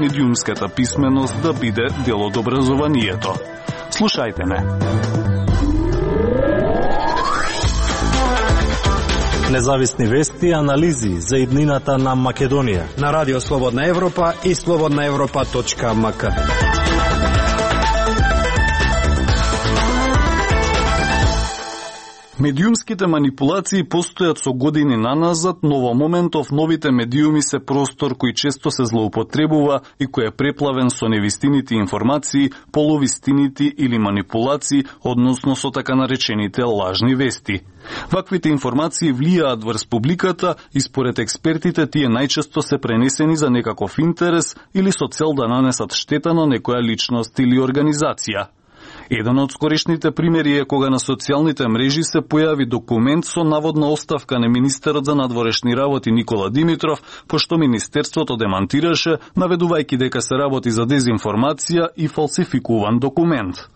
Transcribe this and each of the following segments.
медиумската писменост да биде дел од образованието. Слушајте ме. Независни вести и анализи за иднината на Македонија на Радио Слободна Европа и slobodnaevropa.mk. Медиумските манипулации постојат со години наназад, но во моментов новите медиуми се простор кој често се злоупотребува и кој е преплавен со невистините информации, полувистините или манипулации, односно со така наречените лажни вести. Ваквите информации влијаат врз публиката и според експертите тие најчесто се пренесени за некаков интерес или со цел да нанесат штета на некоја личност или организација. Еден од скорешните примери е кога на социјалните мрежи се појави документ со наводна оставка на министерот за надворешни работи Никола Димитров, пошто министерството демантираше, наведувајќи дека се работи за дезинформација и фалсификуван документ.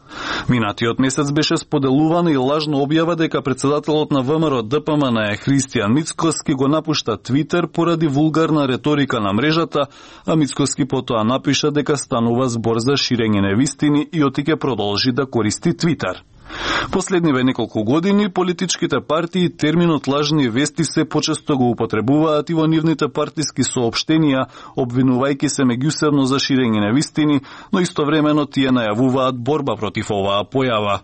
Минатиот месец беше споделувана и лажна објава дека председателот на ВМРО ДПМН Христијан Мицкоски го напушта Твитер поради вулгарна реторика на мрежата, а Мицкоски потоа напиша дека станува збор за ширење невистини и отиќе продолжи да користи Твитер. Последниве неколку години политичките партии терминот лажни вести се почесто го употребуваат и во нивните партиски соопштенија, обвинувајќи се меѓусебно за ширење невистини, но истовремено тие најавуваат борба против оваа појава.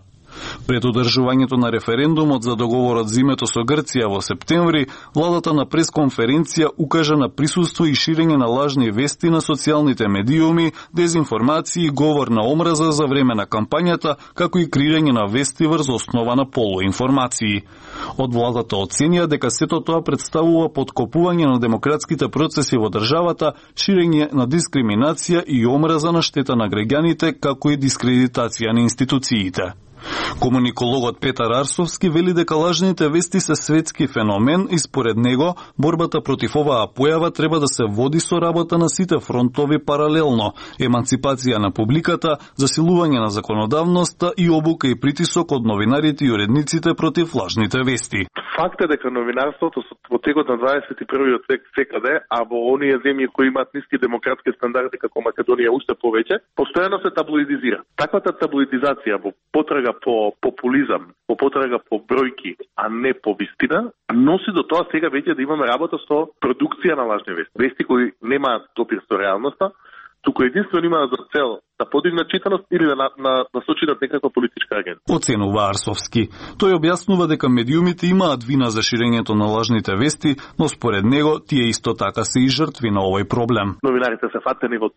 Пред одржувањето на референдумот за договорот зимето со Грција во септември, владата на пресконференција укажа на присуство и ширење на лажни вести на социјалните медиуми, дезинформации и говор на омраза за време на кампањата, како и креирање на вести врз основа на полуинформации. Од владата оценија дека сето тоа представува подкопување на демократските процеси во државата, ширење на дискриминација и омраза на штета на граѓаните, како и дискредитација на институциите. Комуникологот Петар Арсовски вели дека лажните вести се светски феномен и според него борбата против оваа појава треба да се води со работа на сите фронтови паралелно: еманципација на публиката, засилување на законодавноста и обука и притисок од новинарите и уредниците против лажните вести. Факт е дека новинарството во текот на 21-виот век секаде, а во оние земји кои имаат ниски демократски стандарди како Македонија уште повеќе, постојано се таблоидизира. Таквата таблоидизација во потрага по популизам, по потрага по бројки, а не по вистина, носи до тоа сега веќе да имаме работа со продукција на лажни вести. Вести кои немаат допир со реалноста, туку единствено имаат за цел да подигнат читаност или да насочинат некаква политичка агенда. Оценува Арсовски. Тој објаснува дека медиумите имаат вина за ширењето на лажните вести, но според него тие исто така се и жртви на овој проблем. Новинарите се фатени во